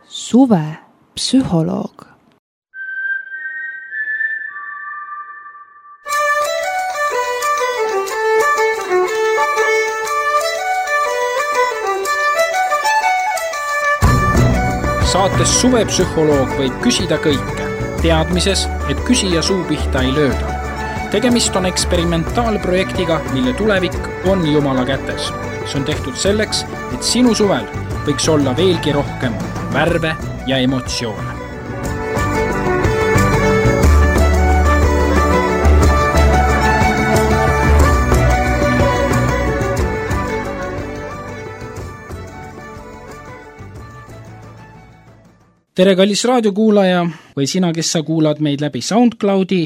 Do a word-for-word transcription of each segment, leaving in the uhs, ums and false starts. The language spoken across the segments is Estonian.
Suvepsühholoog. Saates Suvepsühholoog võib küsida kõike, teadmises, et küsija suu pihta ei lööda. Tegemist on eksperimentaalprojektiga, mille tulevik on Jumala kätes. See on tehtud selleks, et sinu suvel võiks olla veelgi rohkem värve ja emotsioone. Tere, kallis raadiokuulaja või sina, kes sa kuulad meid läbi SoundCloudi.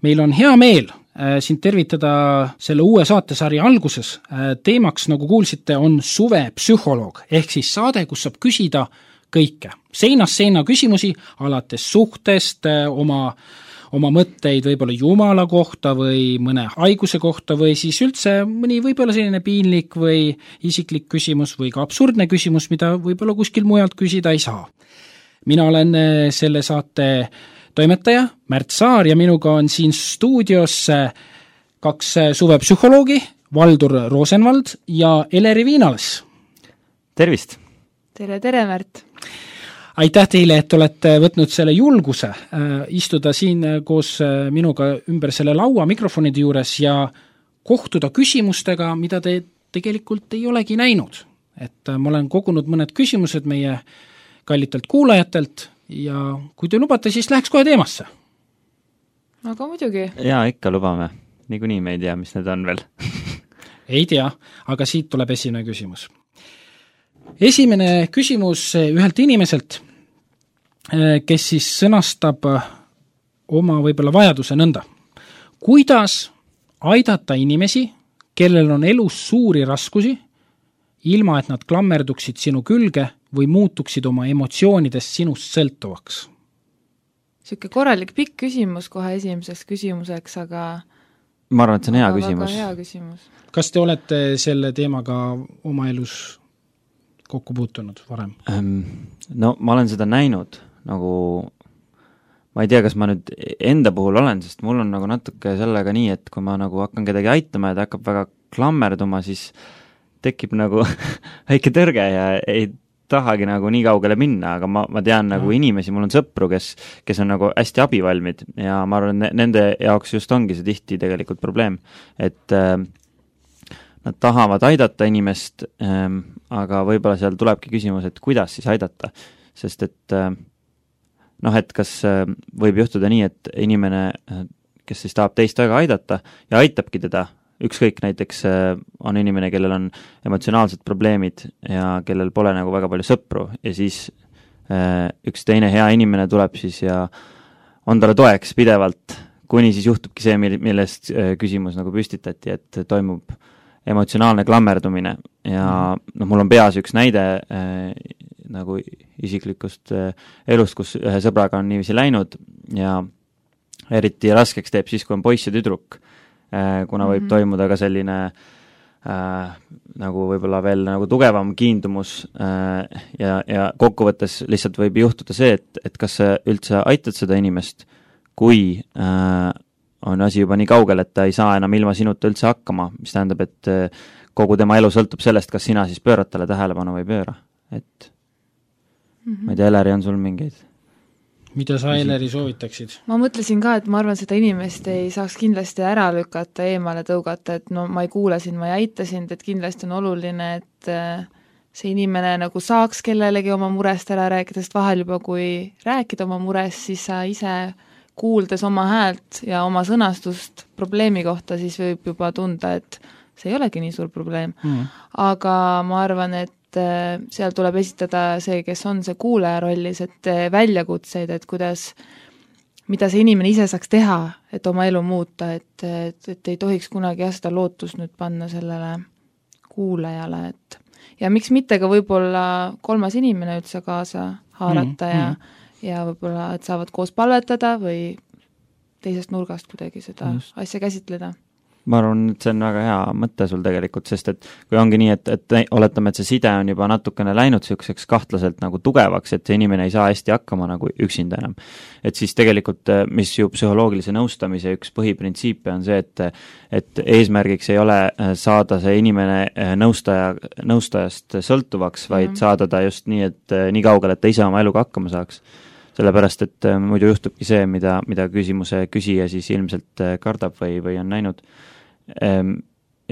Meil on hea meel äh, sind tervitada selle uue saatesarja alguses. Äh, teemaks, nagu kuulsite, on Suvepsühholoog, ehk siis saade, kus saab küsida kõike. Seinast seina küsimusi, alates suhtest, äh, oma, oma mõtteid võib-olla Jumala kohta või mõne haiguse kohta või siis üldse mõni võib-olla selline piinlik või isiklik küsimus või ka absurdne küsimus, mida võib-olla kuskil mujalt küsida ei saa. Mina olen selle saate toimetaja Märt Saar ja minuga on siin stuudios kaks suvepsühholoogi, Valdur Rosenvald ja Eleri Viinalas. Tervist! Tere, tere Märt! Aitäh teile, et olete võtnud selle julguse istuda siin koos minuga ümber selle laua mikrofonide juures ja kohtuda küsimustega, mida te tegelikult ei olegi näinud. Et ma olen kogunud mõned küsimused meie kallitelt kuulajatelt ja kui te lubate, siis läheks kohe teemasse. Aga muidugi. Jaa, ikka lubame. Niikuinii me ei tea, mis need on veel. Ei tea, aga siit tuleb esimene küsimus. Esimene küsimus ühelt inimeselt, kes siis sõnastab oma võib-olla vajaduse nõnda. Kuidas aidata inimesi, kellel on elus suuri raskusi, ilma et nad klammerduksid sinu külge või muutuksid oma emotsioonidest sinust sõltuvaks? Siuke korralik pikk küsimus kohe esimeseks küsimuseks, aga ma arvan, et see on hea küsimus. Väga hea küsimus. Kas te olete selle teemaga oma elus kokku puutunud varem? No ma olen seda näinud, nagu ma ei tea, kas ma nüüd enda puhul olen, sest mul on nagu natuke sellega nii, et kui ma nagu hakkan kedagi aitama ja ta hakkab väga klammerduma, siis tekib nagu väike tõrge ja ei tahagi nagu nii kaugele minna, aga ma, ma tean nagu inimesi, mul on sõpru, kes, kes on nagu hästi abivalmid ja ma arvan, nende jaoks just ongi see tihti tegelikult probleem, et äh, nad tahavad aidata inimest, äh, aga võib-olla seal tulebki küsimus, et kuidas siis aidata, sest et äh, noh, et kas äh, võib juhtuda nii, et inimene, kes siis tahab teist väga aidata ja aitabki teda, ükskõik näiteks on inimene, kellel on emotsionaalsed probleemid ja kellel pole nagu väga palju sõpru ja siis üks teine hea inimene tuleb siis ja on talle toeks pidevalt, kuni siis juhtubki see, millest küsimus nagu püstitati, et toimub emotsionaalne klammerdumine ja noh, mul on peas üks näide nagu isiklikust elust, kus ühe sõbraga on niiviisi läinud ja eriti raskeks teeb siis, kui on poiss ja tüdruk, kuna võib toimuda ka selline äh, nagu võib-olla veel nagu tugevam kiindumus äh, ja, ja kokkuvõttes lihtsalt võib juhtuda see, et, et kas sa üldse aitad seda inimest, kui äh, on asi juba nii kaugel, et ta ei saa enam ilma sinuta üldse hakkama, mis tähendab, et äh, kogu tema elu sõltub sellest, kas sina siis pöörad talle tähelepanu või ei pööra. Et mm-hmm. ma ei tea, Eleri, on sul mingeid? Mida sa, Eleri, soovitaksid? Ma mõtlesin ka, et ma arvan, seda inimest ei saaks kindlasti ära lükata, eemale tõugata, et no ma ei kuula sind, ma ei aita sind, et kindlasti on oluline, et see inimene nagu saaks kellelegi oma murest ära rääkida, sest vahel juba kui rääkida oma murest, siis sa ise kuuldes oma häält ja oma sõnastust probleemi kohta, siis võib juba tunda, et see ei olegi nii suur probleem. Mm. Aga ma arvan, et seal tuleb esitada see, kes on see kuulaja rollis, et väljakutseid, et kuidas, mida see inimene ise saaks teha, et oma elu muuta, et, et, et ei tohiks kunagi jah seda lootust nüüd panna sellele kuulajale, et ja miks mitte ka võib-olla kolmas inimene üldse kaasa haarata mm, ja, mm. ja võib-olla, et saavad koos palvetada või teisest nurgast kuidagi seda Just. asja käsitleda. ma arvan, et see on väga hea mõte sul tegelikult, sest et kui ongi nii, et, et oletame, et see side on juba natukene läinud selliseks kahtlaselt nagu tugevaks, et see inimene ei saa hästi hakkama nagu üksinda enam. Et siis tegelikult, mis ju psühholoogilise nõustamise üks põhiprintsiipe on see, et et eesmärgiks ei ole saada see inimene nõustaja, nõustajast sõltuvaks, vaid mm. saada ta just nii, et nii kaugel, et ta ise oma eluga hakkama saaks. Sellepärast, et muidu juhtubki see, mida, mida küsimuse küsija siis ilmselt kardab või, või on näinud.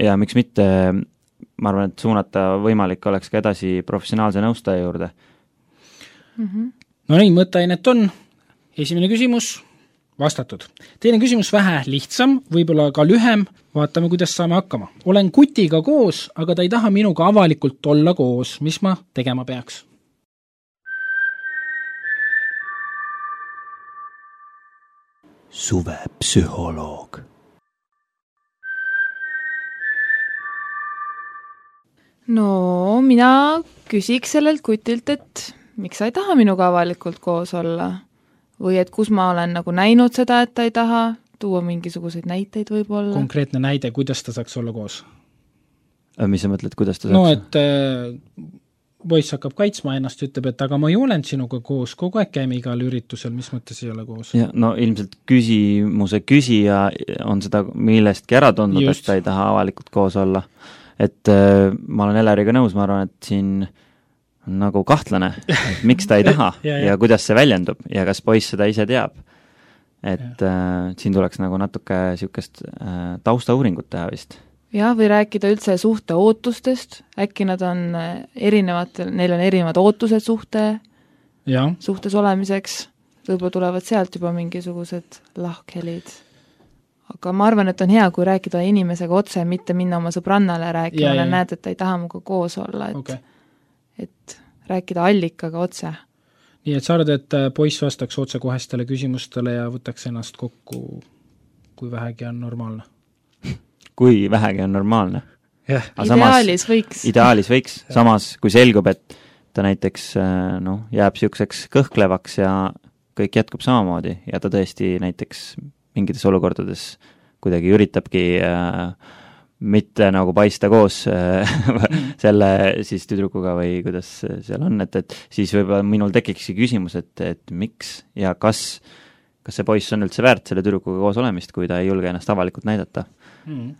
Ja miks mitte, ma arvan, et suunata võimalik oleks ka edasi professionaalse nõustaja juurde. Mm-hmm. No nii, mõtteainet on. Esimene küsimus vastatud. Teine küsimus vähe lihtsam, võib-olla ka lühem. Vaatame, kuidas saame hakkama. Olen kutiga koos, aga ta ei taha minuga avalikult olla koos. Mis ma tegema peaks? Suvepsühholoog. No mina küsiks sellelt kutilt, et miks sa ei taha minuga avalikult koos olla? Või et kus ma olen nagu näinud seda, et ta ei taha, tuua mingisuguseid näiteid võib-olla. Konkreetne näide, kuidas ta saaks olla koos? Mis sa mõtled, kuidas ta saaks? No, et äh, poiss hakkab kaitsma ennast, ütleb, et aga ma ei olen sinuga koos, kogu aeg käime igal üritusel, mis mõttes ei ole koos? Ja, no ilmselt küsimuse küsija on seda millestki ära tundnud, et ta ei taha avalikult koos olla. Et äh, ma olen Eleriga nõus, ma arvan, et siin on nagu kahtlane, et miks ta ei taha ja, ja. ja kuidas see väljendub ja kas poiss seda ise teab. Et äh, siin tuleks nagu natuke niisugust äh, taustauuringut teha vist. Jah, või rääkida üldse suhte ootustest, äkki nad on erinevad, neil on erinevad ootused suhte, ja. suhtes olemiseks, võib-olla tulevad sealt juba mingisugused lahkhelid. Aga ma arvan, et on hea, kui rääkida inimesega otse, mitte minna oma sõbrannale rääkima, ja näed, et ta ei taha muga koos olla, et, okay. et rääkida allikaga otse. Nii, et sa arvad, et poiss vastaks otse kohestele küsimustele ja võtaks ennast kokku, kui vähegi on normaalne? Kui vähegi on normaalne. Yeah. Ideaalis võiks. Ideaalis võiks, samas kui selgub, et ta näiteks no, jääb siukseks kõhklevaks ja kõik jätkub samamoodi ja ta tõesti näiteks mingites olukordades kuidagi üritabki äh, mitte nagu paista koos äh, selle siis tüdrukuga või kuidas seal on, et, et siis võib-olla minul tekikski küsimus, et, et miks ja kas, kas see poiss on üldse väärt selle tüdrukuga koos olemist, kui ta ei julge ennast avalikult näidata. Mm.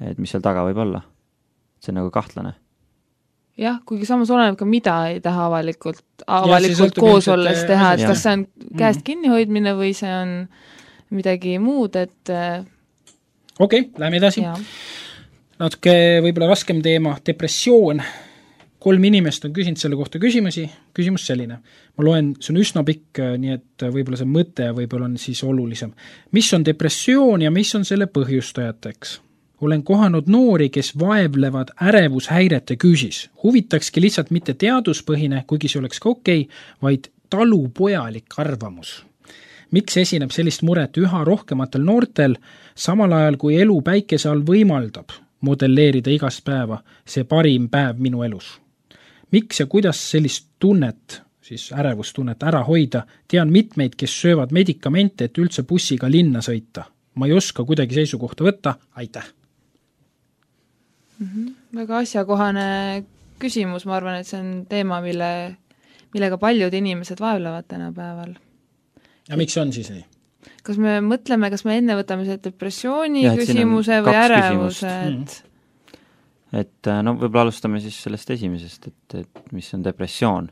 Et mis seal taga võib olla. See on nagu kahtlane. Jah, kuigi samas oleneb ka mida ei taha avalikult, avalikult ja, koos olles teha, et jah. Kas see on käest kinni hoidmine või see on midagi muud, et okei, okay, lähme edasi. Ja. Natuke võib-olla raskem teema, depressioon. Kolm inimest on küsinud selle kohta küsimusi. Küsimus selline. Ma loen, see on üsna pikk, nii et võib-olla see mõte võib-olla on siis olulisem. Mis on depressioon ja mis on selle põhjustajateks? Olen kohanud noori, kes vaevlevad ärevushäirete küüsis. Huvitakski lihtsalt mitte teaduspõhine, kuigi see oleks ka okei, vaid talupojalik arvamus. Miks esineb sellist muret üha rohkematel noortel, samal ajal kui elu päikese all võimaldab modelleerida igast päeva see parim päev minu elus? Miks ja kuidas sellist tunnet, siis ärevustunnet ära hoida, tean mitmeid, kes söövad medikamente, et üldse bussiga linna sõita. Ma ei oska kuidagi seisukohta võtta, aitäh! Mm-hmm. Väga asjakohane küsimus, ma arvan, et see on teema, mille, millega paljud inimesed vaevlevad tänapäeval. Ja miks on siis nii? Kas me mõtleme, kas me enne võtame see depressiooni ja, küsimuse või ärevuse? Et... et no võib-olla alustame siis sellest esimesest, et, et mis on depressioon.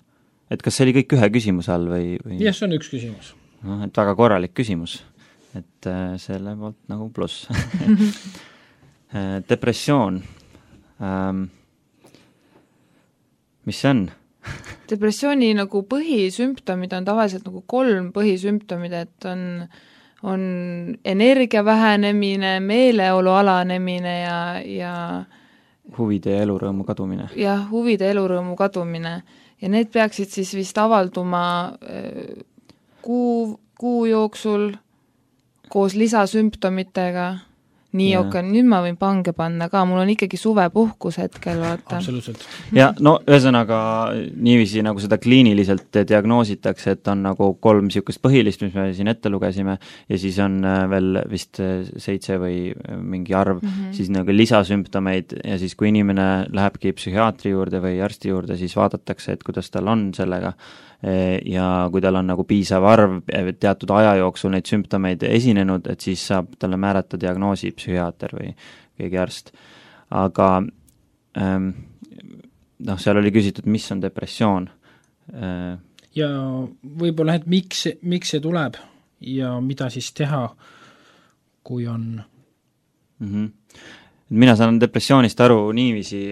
Et kas see oli kõik ühe küsimuse all või, või...? Jah, see on üks küsimus. No, et väga korralik küsimus. Et selle poolt nagu pluss. Depressioon. Ähm, mis see on? Depressiooni nagu põhisümptomid on tavaliselt nagu kolm põhisümptomid, et on, on energia vähenemine, meeleolu alanemine ja, ja huvide ja elurõõmu kadumine. Jah, huvide ja elurõõmu kadumine. Ja need peaksid siis vist avalduma kuu, kuu jooksul koos lisasümptomitega nii okei, nüüd ma võin pange panna ka, mul on ikkagi suvepuhkus hetkel, vaata. Absoluutselt. Ja no ühesõnaga niiviisi nagu seda kliiniliselt diagnoositakse, et on nagu kolm niisugust põhilist, mis me siin ette lugesime, ja siis on veel vist seitse või mingi arv, mm -hmm. siis nagu lisasümptomeid ja siis kui inimene lähebki psühhiaatri juurde või arsti juurde, siis vaadatakse, et kuidas tal on sellega ja kui tal on nagu piisav arv teatud aja jooksul neid sümptomeid esinenud, et siis saab talle määrata diagnoosi psühhiaater või keegi arst. Aga ähm, noh, seal oli küsitud, mis on depressioon. Ja võib-olla, et miks, miks see tuleb ja mida siis teha, kui on? Mm-hmm. Mina saan depressioonist aru niiviisi,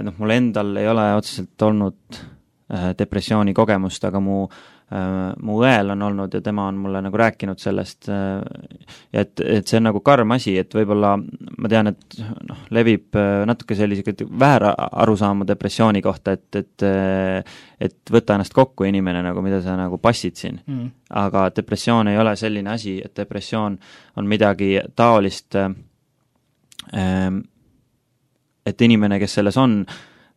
noh, mul endal ei ole otseselt olnud depressiooni kogemust, aga mu, mu õel on olnud ja tema on mulle nagu rääkinud sellest, et, et see on nagu karm asi, et võib-olla ma tean, et noh, levib natuke sellised väär arusaamu depressiooni kohta, et, et, et võta ennast kokku inimene, nagu mida sa nagu passid siin. Mm. Aga depressioon ei ole selline asi, et depressioon on midagi taolist, et inimene, kes selles on,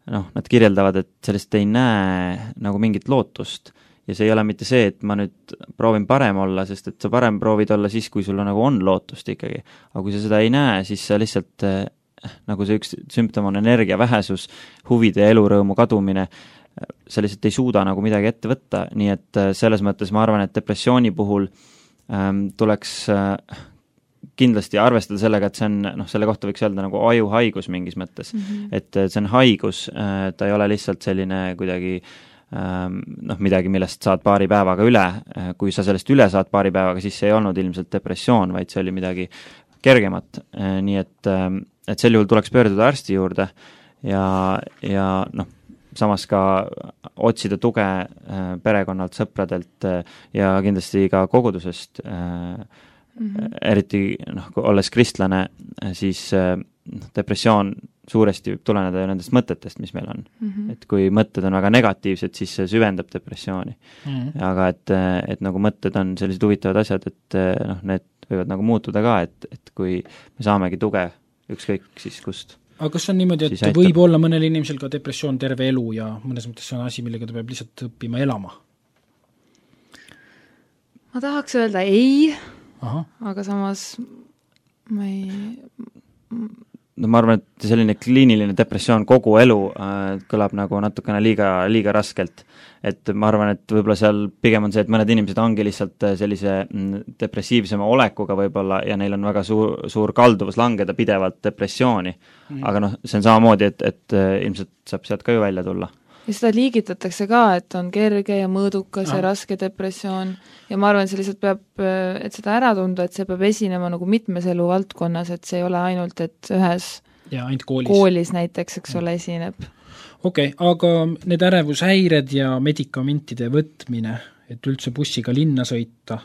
noh, nad kirjeldavad, et sellest ei näe nagu mingit lootust ja see ei ole mitte see, et ma nüüd proovin parem olla, sest et sa parem proovid olla siis, kui sul nagu on lootust ikkagi. Aga kui sa seda ei näe, siis sa lihtsalt, nagu see üks sümptom on energia vähesus, huvide ja elurõõmu kadumine, sa lihtsalt ei suuda nagu midagi ette võtta, nii et selles mõttes ma arvan, et depressiooni puhul ähm, tuleks äh, kindlasti arvestada sellega, et see on, noh, selle kohta võiks öelda nagu ajuhaigus mingis mõttes, mm -hmm. et see on haigus, ta ei ole lihtsalt selline kuidagi noh, midagi, millest saad paari päevaga üle, kui sa sellest üle saad paari päevaga, siis see ei olnud ilmselt depressioon, vaid see oli midagi kergemat, nii et, et sel juhul tuleks pöörduda arsti juurde ja, ja noh, samas ka otsida tuge perekonnalt, sõpradelt ja kindlasti ka kogudusest. Mm-hmm. Eriti noh, kui olles kristlane, siis depressioon suuresti võib tuleneda ju nendest mõtetest, mis meil on. Mm-hmm. Et kui mõtted on väga negatiivsed, siis see süvendab depressiooni. Mm-hmm. Aga et, et nagu mõtted on sellised huvitavad asjad, et noh, need võivad nagu muutuda ka, et, et kui me saamegi tuge ükskõik siis kust. Aga kas on niimoodi, et võib olla mõnel inimesel ka depressioon terve elu ja mõnes mõttes see on asi, millega ta peab lihtsalt õppima elama? Ma tahaks öelda ei, Aha. aga samas ma ei... No ma arvan, et selline kliiniline depressioon kogu elu äh, kõlab nagu natukene liiga, liiga raskelt. Et ma arvan, et võib-olla seal pigem on see, et mõned inimesed ongi lihtsalt sellise depressiivsema olekuga võib-olla ja neil on väga suur, suur kalduvus langeda pidevalt depressiooni. Mm. Aga noh, see on samamoodi, et, et ilmselt saab sealt ka ju välja tulla. Ja seda liigitatakse ka, et on kerge ja mõõdukas ja, ja raske depressioon ja ma arvan, see lihtsalt peab, et seda ära tunda, et see peab esinema nagu mitmes elu valdkonnas, et see ei ole ainult, et ühes ja, ainult koolis. koolis näiteks, eks ole, esineb. Okei, okay, aga need ärevushäired ja medikamentide võtmine, et üldse bussiga linna sõita,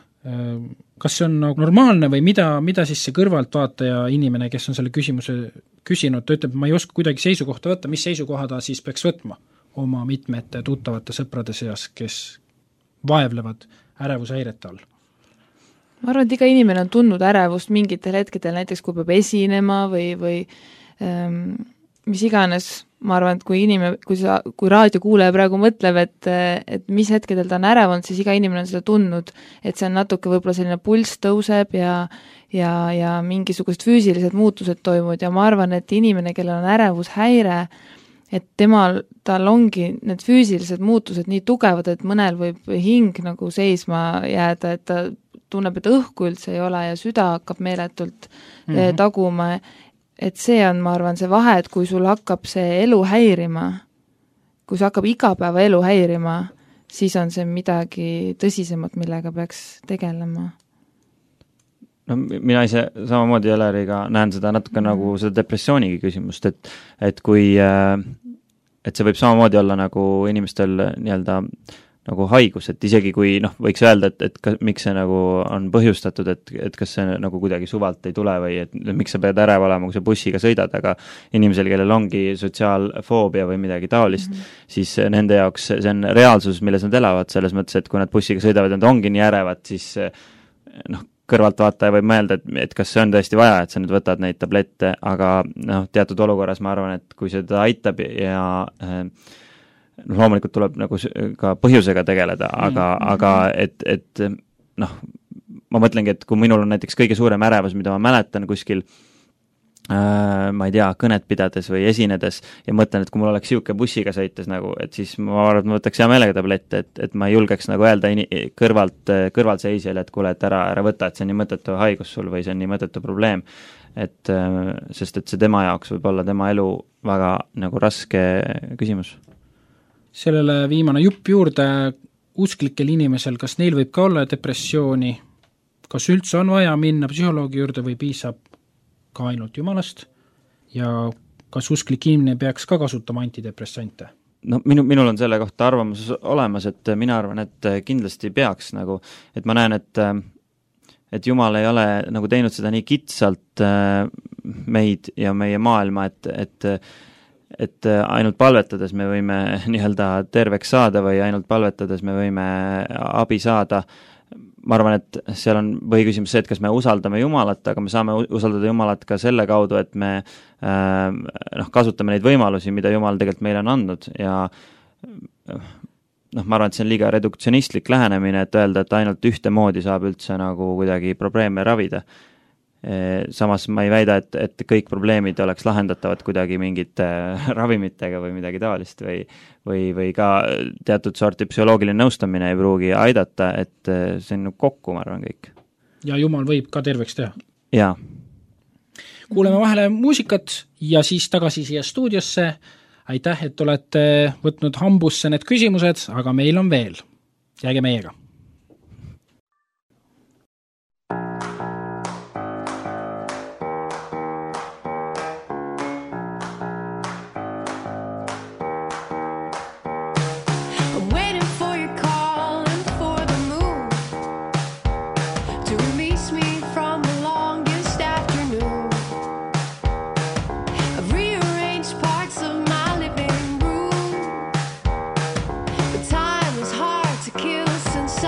kas see on nagu normaalne või mida, mida siis see kõrvaltvaataja inimene, kes on selle küsimuse küsinud, ta ütleb, ma ei oska kuidagi seisukohta võtta, mis seisukoha ta siis peaks võtma oma mitmete tuttavate sõprade seas, kes vaevlevad ärevushäirete all? Ma arvan, et iga inimene on tundnud ärevust mingitel hetkedel, näiteks kui peab esinema või, või ähm, mis iganes. Ma arvan, et kui inimene, kui, sa, kui raadiokuulaja praegu mõtleb, et, et mis hetkedel ta on ärevanud, siis iga inimene on seda tundnud, et see on natuke võib-olla selline pulss tõuseb ja, ja, ja mingisugused füüsilised muutused toimuvad ja ma arvan, et inimene, kellel on ärevushäire, et temal, tal ongi need füüsilised muutused nii tugevad, et mõnel võib hing nagu seisma jääda, et ta tunneb, et õhku üldse ei ole ja süda hakkab meeletult mm -hmm. taguma, et see on, ma arvan, see vahe, et kui sul hakkab see elu häirima, kui see hakkab igapäeva elu häirima, siis on see midagi tõsisemat, millega peaks tegelema. No mina ise samamoodi Eleriga näen seda natuke mm. nagu seda depressioonigi küsimust, et, et kui, et see võib samamoodi olla nagu inimestel nii-öelda nagu haigus, et isegi kui noh, võiks öelda, et, et ka, miks see nagu on põhjustatud, et, et kas see nagu kuidagi suvalt ei tule või et miks sa pead ärev olema, kui sa bussiga sõidad, aga inimesel, kellel ongi sotsiaalfoobia või midagi taolist, mm -hmm. siis nende jaoks see on reaalsus, milles nad elavad, selles mõttes, et kui nad bussiga sõidavad ja nad ongi nii ärevad, siis noh, kõrvaltvaataja võib mõelda, et, et kas see on tõesti vaja, et sa nüüd võtad neid tablette, aga noh, teatud olukorras ma arvan, et kui seda aitab ja äh, noh, loomulikult tuleb nagu ka põhjusega tegeleda, aga mm, -hmm. aga et, et noh, ma mõtlengi, et kui minul on näiteks kõige suurem ärevus, mida ma mäletan kuskil äh, ma ei tea, kõnet pidades või esinedes ja mõtlen, et kui mul oleks siuke bussiga sõites nagu, et siis ma arvan, et ma võtaks hea meelega tablette, et, et ma ei julgeks nagu öelda ini, kõrvalt, kõrvalseisjale, et kuule, et ära, ära võta, et see on nii mõttetu haigus sul või see on nii mõttetu probleem. Et, sest et see tema jaoks võib olla tema elu väga nagu raske küsimus. Sellele viimane jupp juurde, usklikel inimesel, kas neil võib ka olla depressiooni, kas üldse on vaja minna psühholoogi juurde või piisab ka ainult jumalast ja kas usklik inimene peaks ka kasutama antidepressante? No minu, minul on selle kohta arvamus olemas, et mina arvan, et kindlasti peaks nagu, et ma näen, et et Jumal ei ole nagu teinud seda nii kitsalt meid ja meie maailma, et, et et ainult palvetades me võime nii-öelda terveks saada või ainult palvetades me võime abi saada. Ma arvan, et seal on põhiküsimus see, et kas me usaldame Jumalat, aga me saame usaldada Jumalat ka selle kaudu, et me äh, noh, kasutame neid võimalusi, mida Jumal tegelikult meile on andnud ja noh, ma arvan, et see on liiga reduktsionistlik lähenemine, et öelda, et ainult ühte moodi saab üldse nagu kuidagi probleeme ravida. Samas ma ei väida, et, et kõik probleemid oleks lahendatavad kuidagi mingite ravimitega või midagi taolist või, või, või ka teatud sorti psühholoogiline nõustamine ei pruugi aidata, et see on kokku, ma arvan, kõik. Ja Jumal võib ka terveks teha. Jaa. Kuuleme vahele muusikat ja siis tagasi siia stuudiosse. Aitäh, et olete võtnud hambusse need küsimused, aga meil on veel. Jääge meiega. Time is hard to kill since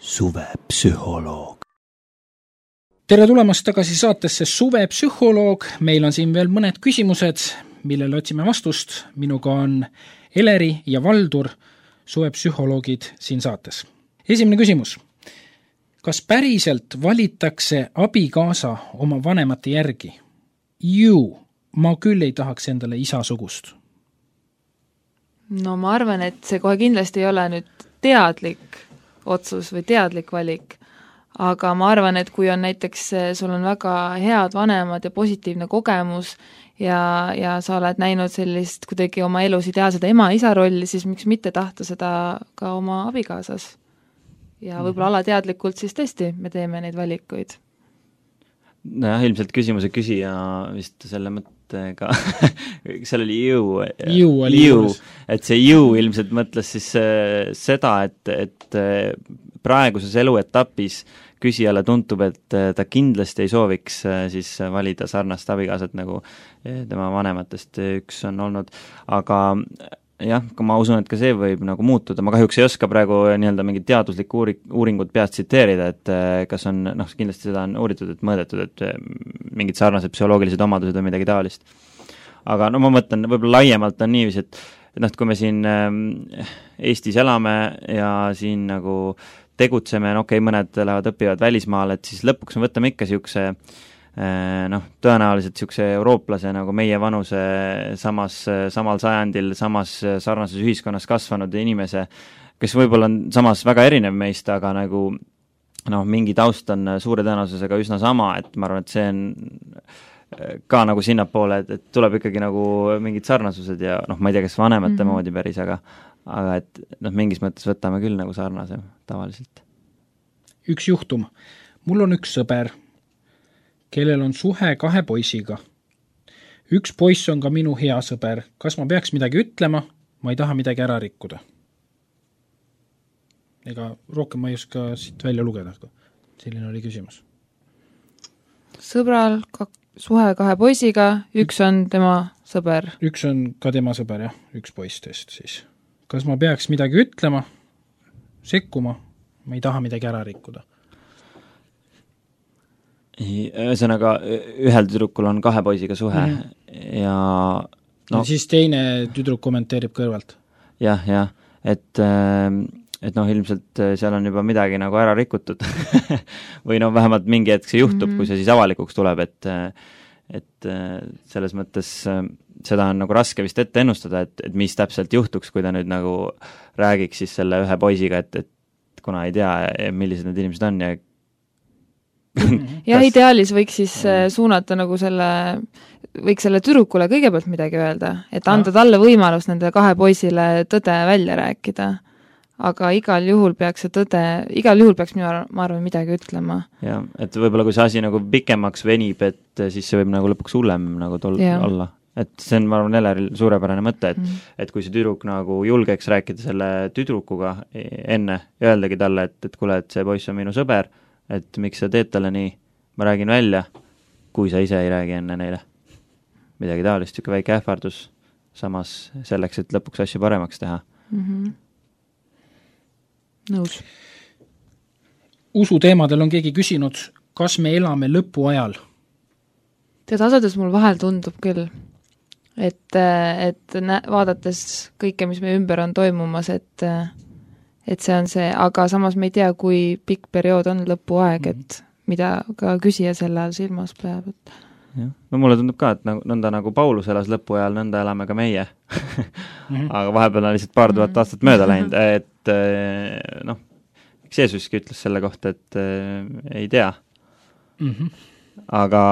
suvepsühholoog. Tere tulemast tagasi saatesse Suvepsühholoog. Meil on siin veel mõned küsimused, millele otsime vastust. Minuga on Eleri ja Valdur, suvepsühholoogid siin saates. Esimene küsimus. Kas päriselt valitakse abikaasa oma vanemate järgi? Ju, ma küll ei tahaks endale isasugust. No ma arvan, et see kohe kindlasti ei ole nüüd teadlik otsus või teadlik valik, aga ma arvan, et kui on näiteks, sul on väga head vanemad ja positiivne kogemus ja, ja sa oled näinud sellist kuidagi oma elus ideaalseda ema-isa rolli, siis miks mitte tahta seda ka oma abikaasas. Ja võib-olla alateadlikult siis tõesti me teeme neid valikuid. Nojah, ilmselt küsimuse küsija vist selle mõttega, seal oli jõu, jõu, oli jõu et see jõu ilmselt mõtles siis seda, et, et praeguses eluetapis küsijale tuntub, et ta kindlasti ei sooviks siis valida sarnast abikaasat, nagu tema vanematest üks on olnud, aga jah, ma usun, et ka see võib nagu muutuda, ma kahjuks ei oska praegu nii-öelda mingit teaduslikku uuri, uuringut peast tsiteerida, et kas on, noh, kindlasti seda on uuritud, et mõõdetud, et mingid sarnased psühholoogilised omadused või midagi taolist. Aga no ma mõtlen, võib-olla laiemalt on niiviisi, et noh, kui me siin Eestis elame ja siin nagu tegutseme, no okei, okay, mõned lähevad õpivad välismaal, et siis lõpuks me võtame ikka siukse noh, tõenäoliselt siukse eurooplase nagu meie vanuse samas, samal sajandil, samas sarnases ühiskonnas kasvanud inimese, kes võib-olla on samas väga erinev meist, aga nagu noh, mingi taust on suure tõenäosusega üsna sama, et ma arvan, et see on ka nagu sinnapoole, et, et tuleb ikkagi nagu mingid sarnasused ja noh, ma ei tea, kas vanemate mm-hmm. moodi päris, aga aga et noh, mingis mõttes võtame küll nagu sarnase tavaliselt. Üks juhtum. Mul on üks sõber, kellel on suhe kahe poisiga. Üks poiss on ka minu hea sõber. Kas ma peaks midagi ütlema? Ma ei taha midagi ära rikkuda. Ega rohkem ma ei oska siit välja lugeda. Selline oli küsimus. Sõbral ka suhe kahe poisiga, üks on tema sõber. Üks on ka tema sõber, jah. Üks poistest siis. Kas ma peaks midagi ütlema? Sekkuma? Ma ei taha midagi ära rikkuda. Ühesõnaga, ühel tüdrukul on kahe poisiga suhe mm. ja no ja siis teine tüdruk kommenteerib kõrvalt. Jah, jah, et, et noh, ilmselt seal on juba midagi nagu ära rikutud või no vähemalt mingi hetk see juhtub, mm. kui see siis avalikuks tuleb, et et selles mõttes seda on nagu raske vist ette ennustada, et, et mis täpselt juhtuks, kui ta nüüd nagu räägiks siis selle ühe poisiga, et, et kuna ei tea, millised need inimesed on ja ja kas... ideaalis võiks siis suunata nagu selle, võiks selle tüdrukule kõigepealt midagi öelda, et anda no. talle võimalus nende kahe poisile tõde välja rääkida. Aga igal juhul peaks see tõde, igal juhul peaks minu arv, ma arvan midagi ütlema. Ja, et võib-olla kui see asi nagu pikemaks venib, et siis see võib nagu lõpuks hullem nagu tol- ja. olla. Et see on, ma arvan, Eleril suurepärane mõte, et, mm. et kui see tüdruk nagu julgeks rääkida selle tüdrukuga enne ja öeldagi talle, et, et kuule, et see poiss on minu sõber, et miks sa teed talle nii, ma räägin välja, kui sa ise ei räägi enne neile. Midagi taolist, siuke väike ähvardus, samas selleks, et lõpuks asju paremaks teha. Mm-hmm. Nõus. Usu teemadel on keegi küsinud, kas me elame lõpu ajal? Tead, asades mul vahel tundub küll, et, et nä- vaadates kõike, mis meie ümber on toimumas, et et see on see, aga samas me ei tea, kui pikk periood on lõpuaeg, et mida ka küsija selle all silmas peab. Et... Ja. No mulle tundub ka, et nagu, nõnda nagu Paulus elas lõpuajal, nõnda elame ka meie. Aga vahepeal on lihtsalt paar tuhat aastat mööda läinud, et noh, eks Jeesuski ütles selle kohta, et äh, ei tea. Aga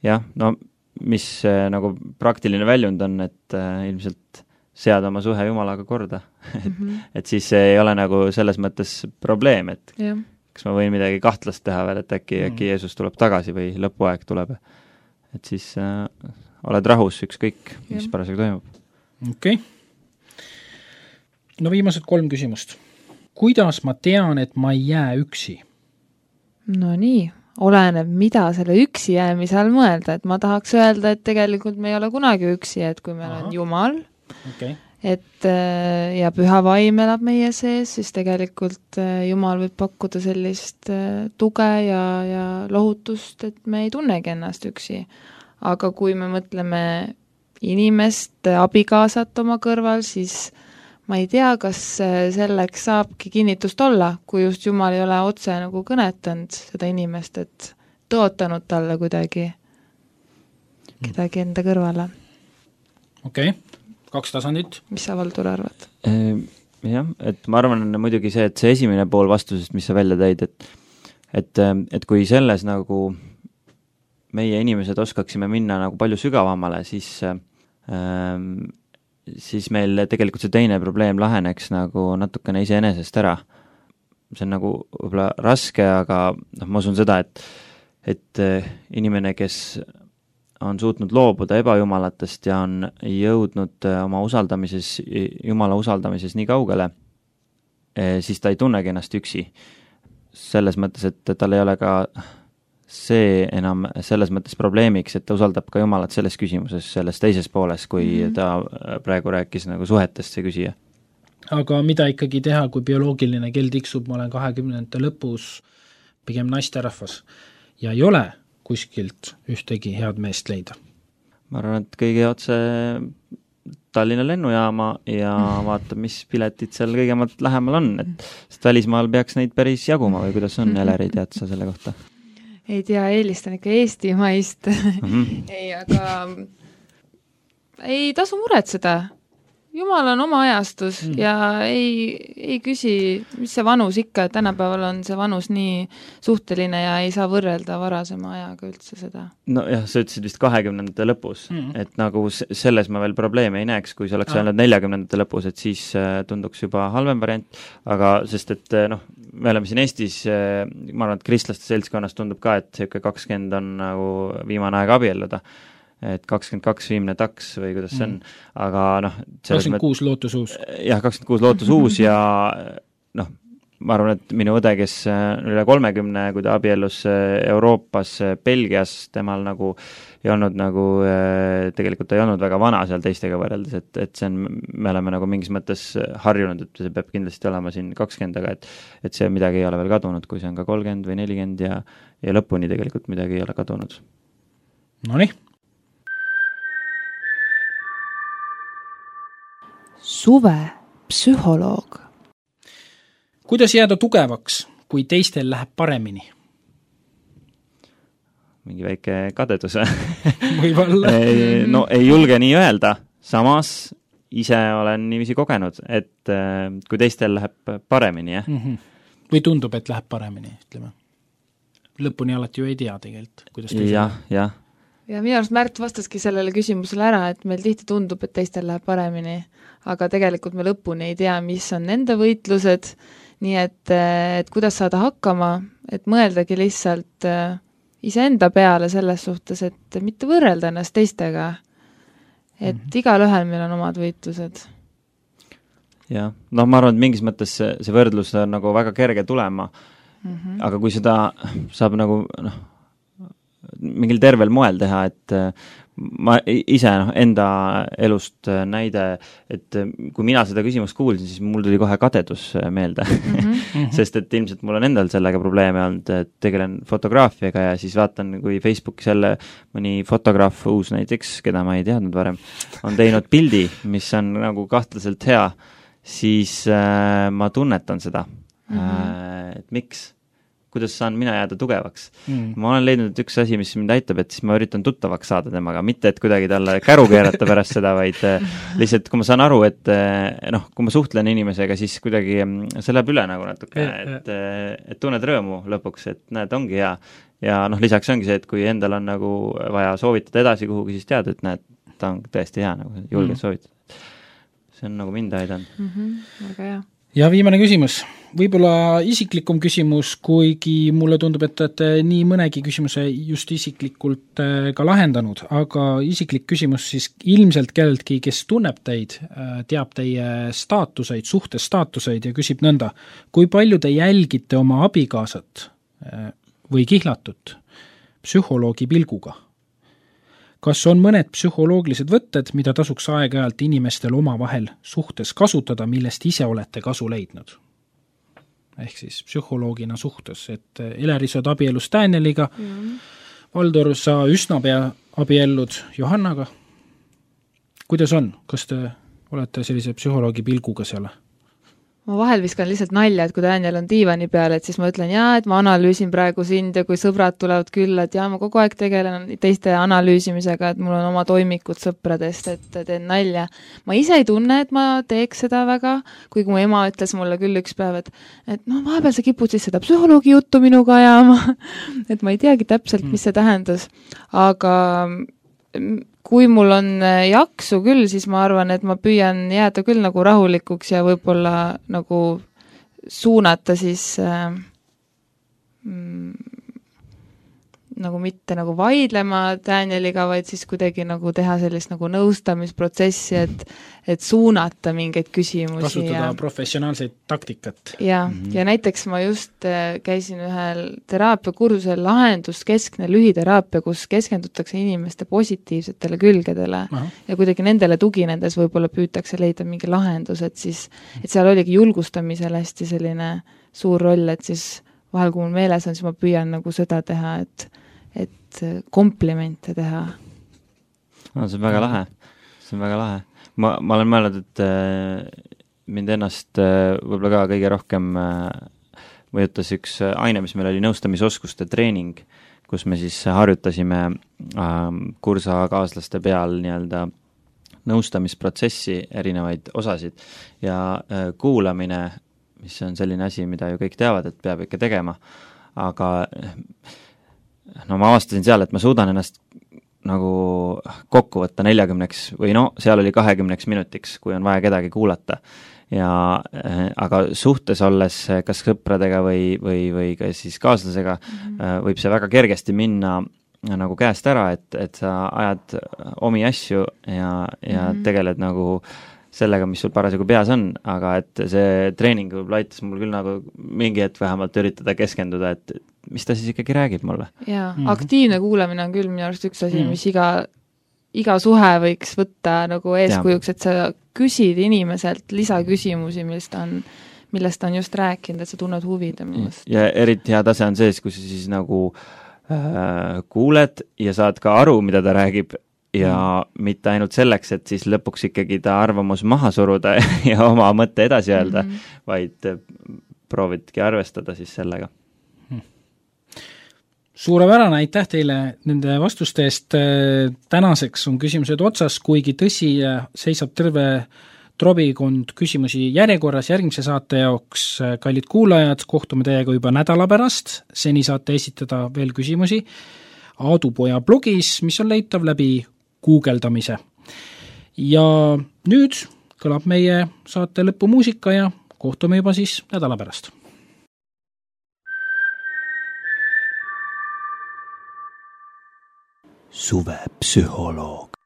jah, no mis äh, nagu praktiline väljund on, et äh, ilmselt seada oma suhe Jumalaga korda. et, mm-hmm. et siis ei ole nagu selles mõttes probleem, et yeah. kas ma võin midagi kahtlast teha veel, et äkki, mm. äkki Jeesus tuleb tagasi või lõpuaeg tuleb. Et siis äh, oled rahus ükskõik, mis yeah. parasjagu toimub. Okei. Okay. No viimased kolm küsimust. Kuidas ma tean, et ma ei jää üksi? No nii, oleneb, mida selle üksi jäämise all mõelda, et ma tahaks öelda, et tegelikult me ei ole kunagi üksi, et kui meil Aha. on Jumal, okay. et ja püha vaim elab meie sees, siis tegelikult Jumal võib pakkuda sellist tuge ja, ja lohutust, et me ei tunnegi ennast üksi. Aga kui me mõtleme inimest, abikaasat oma kõrval, siis ma ei tea, kas selleks saabki kinnitust olla, kui just Jumal ei ole otse nagu kõnetanud seda inimest, et tootanud talle kuidagi kedagi enda kõrvale. Okei, okay. Kaks tasandit. Mis sa, Valdur, arvad? Jah, et ma arvan muidugi see, et see esimene pool vastusest, mis sa välja tõid, et, et, et kui selles nagu meie inimesed oskaksime minna nagu palju sügavamale, siis ähm, siis meil tegelikult see teine probleem laheneks nagu natukene iseenesest ära. See on nagu võib-olla raske, aga noh, ma usun seda, et, et inimene, kes on suutnud loobuda ebajumalatest ja on jõudnud oma usaldamises, Jumala usaldamises nii kaugele, siis ta ei tunnegi ennast üksi. Selles mõttes, et tal ei ole ka see enam selles mõttes probleemiks, et ta usaldab ka Jumalat selles küsimuses, selles teises pooles, kui mm-hmm. ta praegu rääkis nagu suhetest see küsija. Aga mida ikkagi teha, kui bioloogiline kell tiksub, ma olen kahekümnendate lõpus pigem naisterahvas ja ei ole kuskilt ühtegi head meest leida? Ma arvan, et kõige otse Tallinna lennujaama ja vaatab, mis piletid seal kõigemalt lähemal on, et sest välismaal peaks neid päris jaguma või kuidas on, Eleri, tead sa selle kohta? Ei tea, eelistan ikka eestimaist. Mm-hmm. ei, aga ei tasu muretseda. Jumal on oma ajastus mm. ja ei, ei küsi, mis see vanus ikka, et tänapäeval on see vanus nii suhteline ja ei saa võrrelda varasema ajaga üldse seda. No jah, sa ütlesid vist kahekümnendate lõpus, mm. et nagu selles ma veel probleeme ei näeks, kui see oleks öelnud neljakümnendate lõpus, et siis tunduks juba halvem variant, aga sest et noh, me oleme siin Eestis, ma arvan, et kristlaste seltskonnas tundub ka, et see kakskümmend on nagu viimane aeg abielluda, et kakskümmend kaks viimne taks või kuidas see on, aga noh kakskümmend kuus lootus uus. Jah, kakskümmend kuus lootus uus ja noh, ma arvan, et minu õde, kes üle kolmekümne, kui ta abiellus Euroopas, Belgias, temal nagu ei olnud nagu, tegelikult ta ei olnud väga vana seal teistega võrreldes, et, et see on, me oleme nagu mingis mõttes harjunud, et see peab kindlasti olema siin kakskümmend, aga et, et see midagi ei ole veel kadunud, kui see on ka kolmkümmend või nelikümmend ja, ja lõpuni tegelikult midagi ei ole kadunud. Nonii. Suve psühholoog. Kuidas jääda tugevaks, kui teistel läheb paremini? Mingi väike kadedus. Võibolla. No ei julge nii öelda. Samas ise olen niiviisi kogenud, et kui teistel läheb paremini, jah? Mm-hmm. Või tundub, et läheb paremini, ütleme. Lõpuni alati ju ei tea tegelikult, kuidas teisel jah, jah. Ja minu arust Märt vastaski sellele küsimusele ära, et meil tihti tundub, et teistel läheb paremini, aga tegelikult me lõpuni ei tea, mis on nende võitlused, nii et, et kuidas saada hakkama, et mõeldagi lihtsalt iseenda peale selles suhtes, et mitte võrrelda ennast teistega, et mm-hmm. igalühel meil on omad võitlused. Jah, no ma arvan, et mingis mõttes see, see võrdlus on nagu väga kerge tulema, mm-hmm. aga kui seda saab nagu noh, mingil tervel moel teha, et ma ise noh, enda elust näide, et kui mina seda küsimust kuulsin, siis mul tuli kohe kadedus meelde, mm-hmm. sest et ilmselt mul on endal sellega probleeme olnud, et tegelen fotograafiaga ja siis vaatan, kui Facebookis jälle mõni fotograaf uus näiteks, keda ma ei teadnud varem, on teinud pildi, mis on nagu kahtlaselt hea, siis äh, ma tunnetan seda, mm-hmm. äh, et miks? Kuidas saan mina jääda tugevaks. Mm. Ma olen leidnud üks asi, mis mind aitab, et siis ma üritan tuttavaks saada temaga, mitte et kuidagi talle käru keerata pärast seda, vaid lihtsalt kui ma saan aru, et noh, kui ma suhtlen inimesega, siis kuidagi see läheb üle nagu natuke, et, et tunned rõõmu lõpuks, et näed, ongi hea. Ja noh, lisaks ongi see, et kui endal on nagu vaja soovitada edasi kuhugi, siis tead, et näed, ta on tõesti hea, nagu julged mm. soovitada. See on nagu mind aidanud. Mm-hmm, väga hea. Ja viimane küsimus. Võib-olla isiklikum küsimus, kuigi mulle tundub, et olete nii mõnegi küsimuse just isiklikult ka lahendanud, aga isiklik küsimus siis ilmselt kelleltki, kes tunneb teid, teab teie staatuseid, suhtestaatuseid ja küsib nõnda, kui palju te jälgite oma abikaasat või kihlatut psühholoogi pilguga? kas on mõned psühholoogilised võtted, mida tasuks aeg-ajalt inimestel omavahel suhtes kasutada, millest ise olete kasu leidnud? Ehk siis psühholoogina suhtes, et Eleri saad abiellus Danieliga, mm. Valdur, sa üsna pea abiellud Johannaga. Kuidas on? Kas te olete sellise psühholoogi pilguga seal? Ma vahel viskan lihtsalt nalja, et kui Daniel on diivani peal, et siis ma ütlen, jaa, et ma analüüsin praegu sind ja kui sõbrad tulevad külla, et jaa, ma kogu aeg tegelen teiste analüüsimisega, et mul on oma toimikud sõpradest, et teen nalja. Ma ise ei tunne, et ma teeks seda väga, kuigi mu ema ütles mulle küll üks päev, et, et no vahepeal sa kipud siis seda psühholoogi juttu minuga ajama, et ma ei teagi täpselt, mis see tähendas, aga kui mul on jaksu küll, siis ma arvan, et ma püüan jääda küll nagu rahulikuks ja võib-olla nagu suunata siis äh, mm, nagu mitte nagu vaidlema Danieliga, vaid siis kuidagi nagu teha sellist nagu nõustamisprotsessi, et, et suunata mingeid küsimusi. Kasutada ja professionaalseid taktikat. Ja, mm-hmm. ja näiteks ma just käisin ühel teraapiakursusel lahenduskeskne lühiteraapia, kus keskendutakse inimeste positiivsetele külgedele. Aha. Ja kuidagi nendele tuginedes võib-olla püütakse leida mingi lahendus, et siis, et seal oligi julgustamisel hästi selline suur roll, et siis vahel, kui mul meeles on, siis ma püüan nagu seda teha, et et komplimente teha. No, see on väga lahe. See on väga lahe. Ma, ma olen mõelnud, et äh, mind ennast äh, võib-olla ka kõige rohkem äh, mõjutas üks aine, mis meil oli nõustamisoskuste treening, kus me siis harjutasime äh, kursakaaslaste peal nii-öelda nõustamisprotsessi erinevaid osasid ja äh, kuulamine, mis on selline asi, mida ju kõik teavad, et peab ikka tegema, aga no ma avastasin seal, et ma suudan ennast nagu kokku võtta neljakümneks või no, seal oli kahekümneks minutiks, kui on vaja kedagi kuulata. Ja, aga suhtes olles kas sõpradega või, või, või ka siis kaaslasega mm-hmm. võib see väga kergesti minna nagu käest ära, et, et sa ajad omi asju ja, ja mm-hmm. tegeled nagu sellega, mis sul parasjagu peas on, aga et see treening võib-olla aitas mul küll nagu mingi hetk vähemalt üritada keskenduda, et mis ta siis ikkagi räägib mulle. Jaa, mm-hmm. aktiivne kuulamine on küll minu arust üks asi, mm-hmm. mis iga, iga suhe võiks võtta nagu eeskujuks, et sa küsid inimeselt lisaküsimusi, millest on, millest on just rääkinud, et sa tunned huvi temast. Ja eriti hea tase on sees, kui sa siis nagu äh, kuuled ja saad ka aru, mida ta räägib, ja mm. mitte ainult selleks, et siis lõpuks ikkagi ta arvamus maha suruda ja oma mõtte edasi öelda, mm-hmm. vaid proovidki arvestada siis sellega. Hmm. Suurepärane, aitäh teile nende vastuste eest. Tänaseks on küsimused otsas, kuigi tõsi seisab terve trobikond küsimusi järjekorras järgmise saate jaoks. Kallid kuulajad, kohtume teiega juba nädala pärast. Seni saate esitada veel küsimusi Aadupoja blogis, mis on leitav läbi guugeldamise. Ja nüüd kõlab meie saate lõpumuusika ja kohtume juba siis nädala pärast. Suvepsühholoog.